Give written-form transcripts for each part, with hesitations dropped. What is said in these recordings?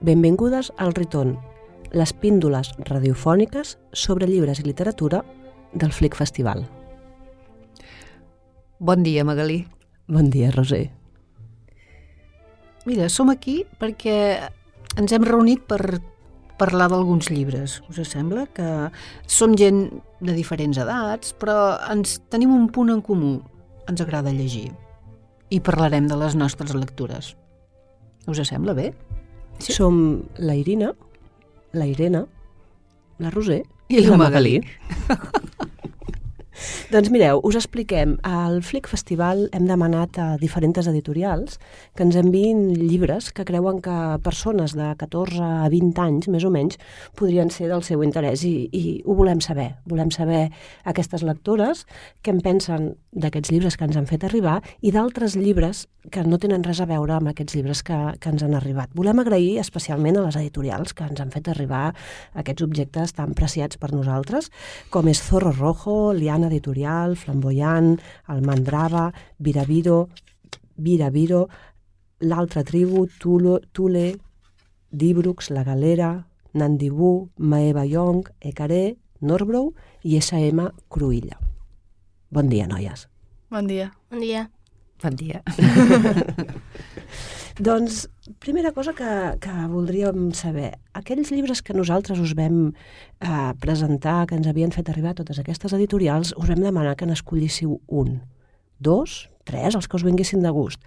Benvingudes al Riton, les píndoles radiofòniques sobre llibres i literatura del Flic Festival. Bon dia, Magalí. Bon dia, Roser. Mira, som aquí perquè ens hem reunit per parlar d'alguns llibres. Us sembla? Que som gent de diferents edats, però tenim un punt en comú. Ens agrada llegir. I parlarem de les nostres lectures. Us sembla bé? Sí. Som la Irina, la Irene, la Roser i la Magalí. Doncs mireu, us expliquem. Al Flic Festival hem demanat a diferents editorials que ens enviïn llibres que creuen que persones de 14 a 20 anys, més o menys, podrien ser del seu interès i ho volem saber. Volem saber aquestes lectores què en pensen d'aquests llibres que ens han fet arribar i d'altres llibres que no tenen res a veure amb aquests llibres que ens han arribat. Volem agrair especialment a les editorials que ens han fet arribar aquests objectes tan preciats per nosaltres, com és Zorro Rojo, Liana Editorial, Flamboyant, Almandrava, Viraviro, L'Altra Tribu, Tule, Dibrux, La Galera, Nandibú, Maeva Young, Ecaré, Norbrou i S.M. Cruïlla. Bon dia, noies. Bon dia. Bon dia. Bon dia. Doncs, primera cosa que voldríem saber, aquells llibres que nosaltres us vam presentar, que ens havien fet arribar totes aquestes editorials, us vam demanar que n'escollíssiu un, 2, 3, els que us vinguessin de gust.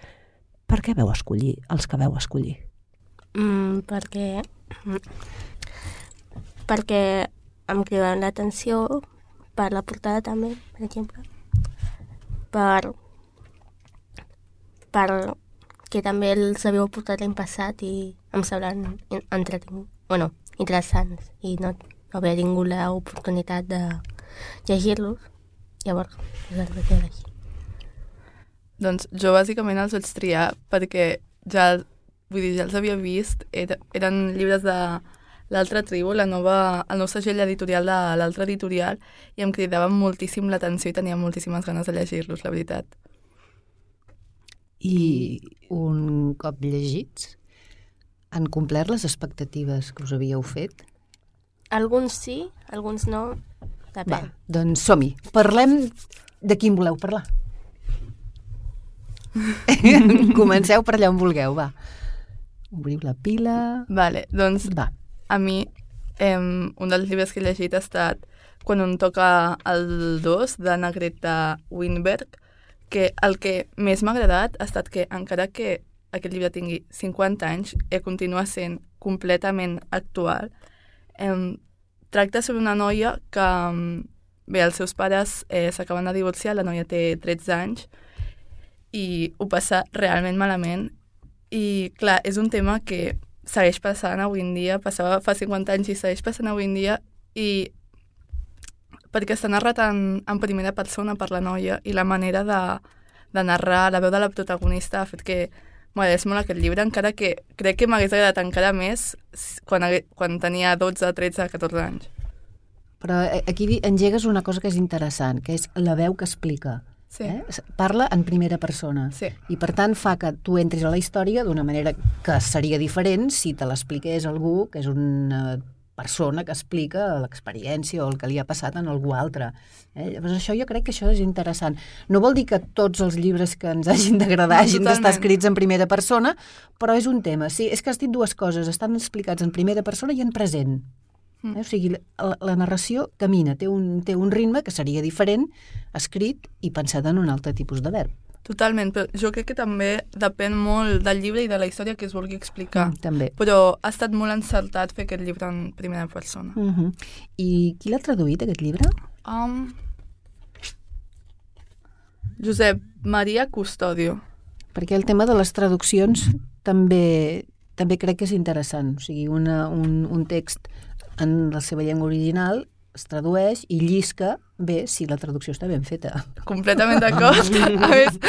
Per què vau escollir els que vau escollir? Perquè em cridaven l'atenció per la portada també, per exemple, perquè també els havíeu portat l'any passat i em semblen interessants i no havia tingut l'oportunitat de llegir-los, llavors els vaig llegir. Doncs jo bàsicament els vaig triar perquè ja els havia vist, eren llibres de l'Altra Tribu, el nou segell editorial de l'Altra Editorial, i em cridaven moltíssim l'atenció i tenia moltíssimes ganes de llegir-los, la veritat. I un cop llegits, han complert les expectatives que us havíeu fet? Alguns sí, alguns no, depèn. Va, doncs som-hi. Parlem de quin voleu parlar. Comenceu per allà on vulgueu, va. Obriu la pila... Vale, doncs va. A mi un dels llibres que he llegit ha estat Quan un toca el 2, d'Anna Greta Winberg, que el que més m'ha agradat ha estat que, encara que aquest llibre tingui 50 anys, continua sent completament actual. Tracta sobre una noia que, els seus pares s'acaben de divorciar, la noia té 13 anys, i ho passa realment malament. I, clar, és un tema que segueix passant avui en dia, passava fa 50 anys i segueix passant avui en dia, i perquè està narrat en primera persona per la noia i la manera de narrar, la veu de la protagonista ha fet que m'agradés molt aquest llibre, encara que crec que m'hagués agradat encara més quan tenia 12, 13, 14 anys. Però aquí engegues una cosa que és interessant, que és la veu que explica. Sí. Parla en primera persona. Sí. I per tant fa que tu entris a la història d'una manera que seria diferent si te l'expliqués algú que és una persona que explica l'experiència o el que li ha passat en algú altre. Llavors jo crec que això és interessant. No vol dir que tots els llibres que ens hagin d'agradar hagin d'estar escrits en primera persona, però és un tema. Sí, és que has dit dues coses, estan explicats en primera persona i en present. O sigui, la narració camina, té un ritme que seria diferent, escrit i pensat en un altre tipus de verb. Totalment, però jo crec que també depèn molt del llibre i de la història que es vulgui explicar. També. Però ha estat molt encertat fer aquest llibre en primera persona. I qui l'ha traduït, aquest llibre? Josep Maria Custodio. Perquè el tema de les traduccions també crec que és interessant. O sigui, un text en la seva llengua original es tradueix i llisca bé si la traducció està ben feta. Completament d'acord. A més,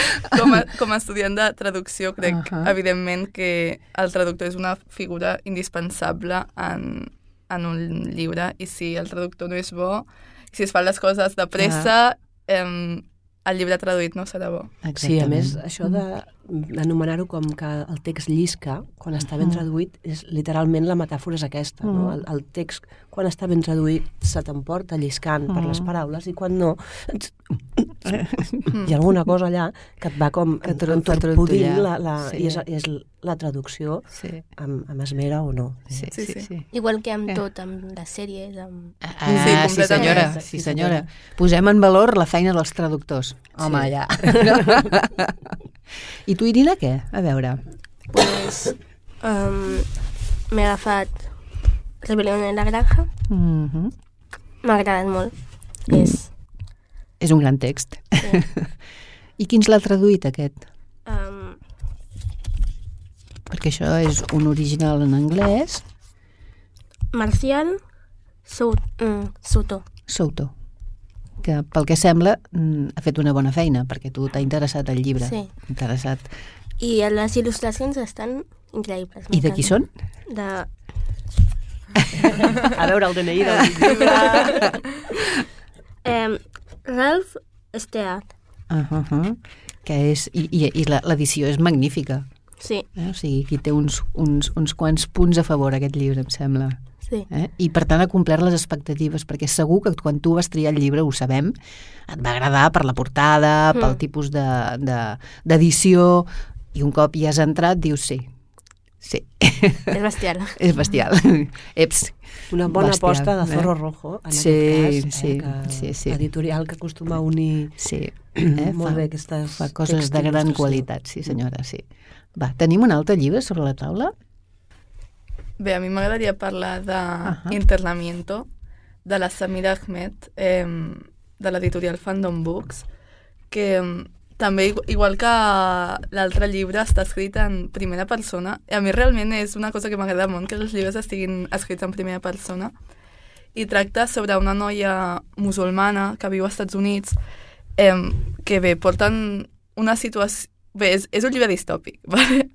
com a estudiant de traducció, crec, evidentment, que el traductor és una figura indispensable en un llibre, i si el traductor no és bo, si es fan les coses de pressa, el llibre traduït no serà bo. Sí, a més, això anomenar-ho com que el text llisca, quan està ben traduït, és literalment la metàfora és aquesta, no? El text, quan està ben traduït, se t'emporta lliscant per les paraules, i quan no, hi ha alguna cosa allà que et va com entorpudint, i és la traducció amb esmera o no. Sí. Igual que amb tot, amb les sèries, amb... Sí, senyora. Posem en valor la feina dels traductors. Home, ja. I tu, Irina, què? A veure. Pues m'he agafat Rebelión en la Granja. M'ha agradat molt. És un gran text. Sí. I qui ens l'ha traduït, aquest? Perquè això és un original en anglès. Marcial Soto. Souto, que pel que sembla ha fet una bona feina, perquè tu t'ha interessat el llibre. Sí. Interessat. I les il·lustracions estan increïbles. I de qui són? De... A veure, el DNI del llibre. Ralph Stead. Que és... I l'edició és magnífica. Sí. O sigui, aquí té uns quants punts a favor, aquest llibre, em sembla. Sí. I per tant ha complert les expectatives, perquè segur que quan tu vas triar el llibre, ho sabem, et va agradar per la portada, pel tipus d'edició, i un cop hi has entrat dius sí. És bestial. És bestial. Eps. Una bona aposta de Zorro Rojo, en aquest cas, sí. Editorial que acostuma a unir molt bé aquestes... Fa coses de gran qualitat, sí senyora, sí. Va, tenim un altre llibre sobre la taula? Bé, a mi m'agradaria parlar d'Internamiento, de la Samira Ahmed, de l'editorial Fandom Books, que també, igual que l'altre llibre, està escrit en primera persona. A mi realment és una cosa que m'agrada molt, que els llibres estiguin escrits en primera persona. I tracta sobre una noia musulmana que viu als Estats Units, que bé, porten una situació... Bé, és un llibre distòpic, vale?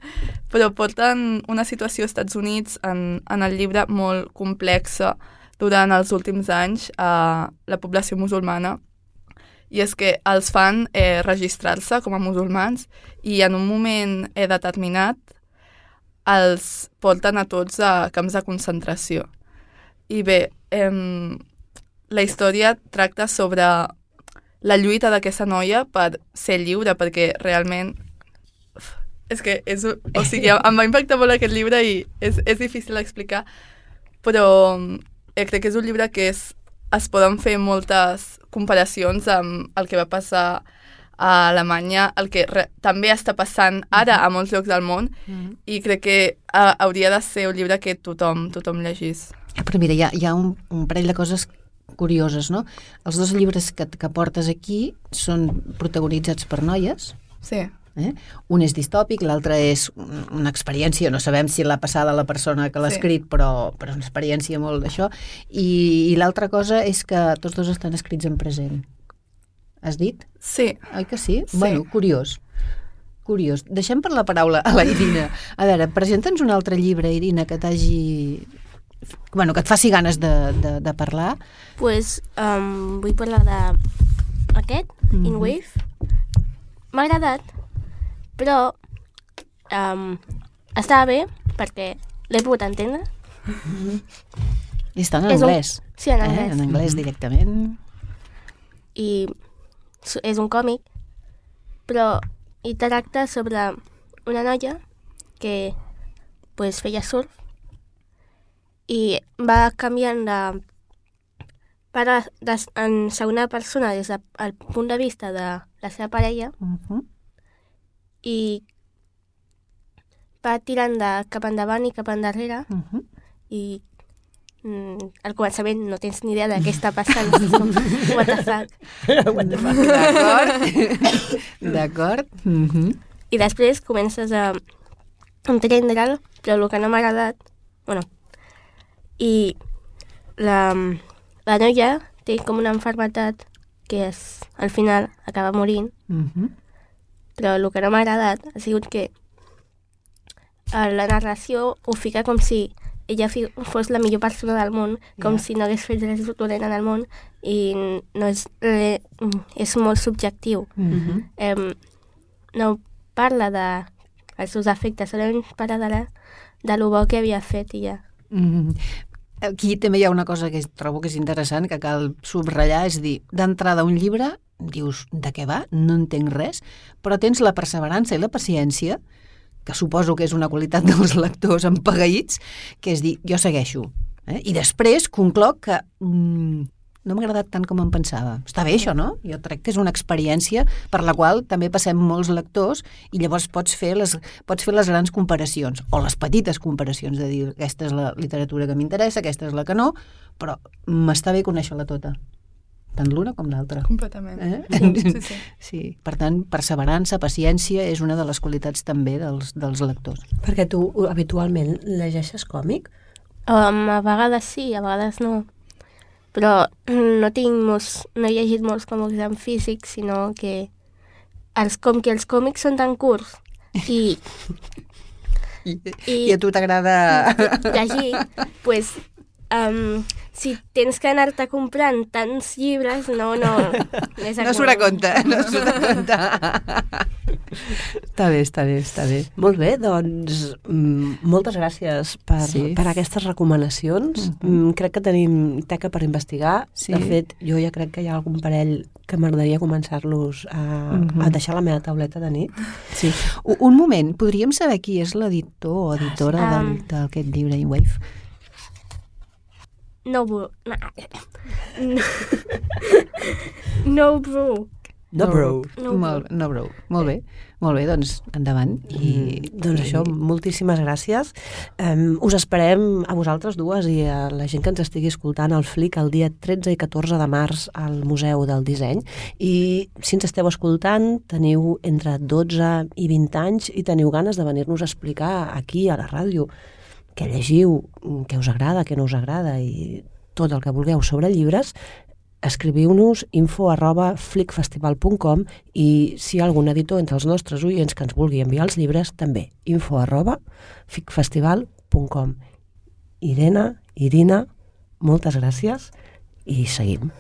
Però porten una situació als Estats Units en el llibre molt complexa durant els últims anys a la població musulmana, i és que els fan registrar-se com a musulmans i en un moment determinat els porten a tots a camps de concentració. I bé, la història tracta sobre la lluita d'aquesta noia per ser lliure, perquè realment és que o sigui, em va impactar molt aquest llibre i és difícil d'explicar, però crec que és un llibre que es poden fer moltes comparacions amb el que va passar a Alemanya, el que també està passant ara a molts llocs del món, i crec que hauria de ser un llibre que tothom llegís. Però mira, hi ha un parell de coses curioses, no? Els dos llibres que portes aquí són protagonitzats per noies. Sí. Un és distòpic, l'altre és una experiència, no sabem si l'ha passada la persona que l'ha escrit, però és una experiència molt d'això, i l'altra cosa és que tots dos estan escrits en present. Has dit? Sí. Oi que sí? Sí. Bueno, curiós. Deixem per la paraula a la Irina. A veure, presenta'ns un altre llibre, Irina, que t'hagi... Bueno, que et faci ganes de parlar. Pues vull parlar d'aquest, In Wave. M'ha agradat, però estava bé perquè l'he pogut entendre. I està en anglès. Sí, en anglès. En anglès directament. I és un còmic, però hi tracta sobre una noia que pues, feia surf i va canviant en segona persona des del punt de vista de la seva parella i va tirant cap endavant i cap endarrere i al començament no tens ni idea de què està passant. What the fuck. D'acord. I després comences a entendre'l, però el que no m'ha agradat, i la noia té com una malaltia que al final acaba morint, però el que no m'ha agradat ha sigut que la narració ho fica com si ella fos la millor persona del món, com si no hagués fet res dolent en el món, i no és molt subjectiu. No parla dels seus efectes, solament parla de lo bo que havia fet i ja. Aquí també hi ha una cosa que trobo que és interessant, que cal subratllar, és dir, d'entrada un llibre, dius, de què va? No entenc res, però tens la perseverança i la paciència, que suposo que és una qualitat dels lectors empagueïts, que és dir, jo segueixo. I després concloc que no m'ha agradat tant com em pensava. Està bé això, no? Jo crec que és una experiència per la qual també passem molts lectors i llavors pots fer les grans comparacions, o les petites comparacions, de dir, aquesta és la literatura que m'interessa, aquesta és la que no, però m'està bé conèixer-la tota. Tant l'una com l'altra. Completament. Sí. Sí. Per tant, perseverança, paciència és una de les qualitats també dels lectors. Perquè tu habitualment llegeixes còmic? A vegades sí, a vegades no. Però no he llegit molts còmics en físic, sinó que els còmics són tan curts i a tu t'agrada llegir, pues, si tens que anar-te comprant tants llibres, no surt a compte. Està bé. Molt bé, doncs moltes gràcies per aquestes recomanacions. Crec que tenim teca per investigar. Sí. De fet, jo ja crec que hi ha algun parell que m'agradaria començar-los a deixar a la meva tauleta de nit. Sí. Un moment, podríem saber qui és l'editor o editora d'aquest llibre, Wave? No Brew. Molt bé, doncs endavant. Doncs això, moltíssimes gràcies. Us esperem a vosaltres dues i a la gent que ens estigui escoltant al FLIC el dia 13 i 14 de març al Museu del Disseny. I si ens esteu escoltant, teniu entre 12 i 20 anys i teniu ganes de venir-nos a explicar aquí a la ràdio què llegiu, què us agrada, què no us agrada i tot el que vulgueu sobre llibres, escriviu-nos info@flicfestival.com i si hi ha algun editor entre els nostres oients que ens vulgui enviar els llibres, també info@flicfestival.com. Irina, moltes gràcies i seguim.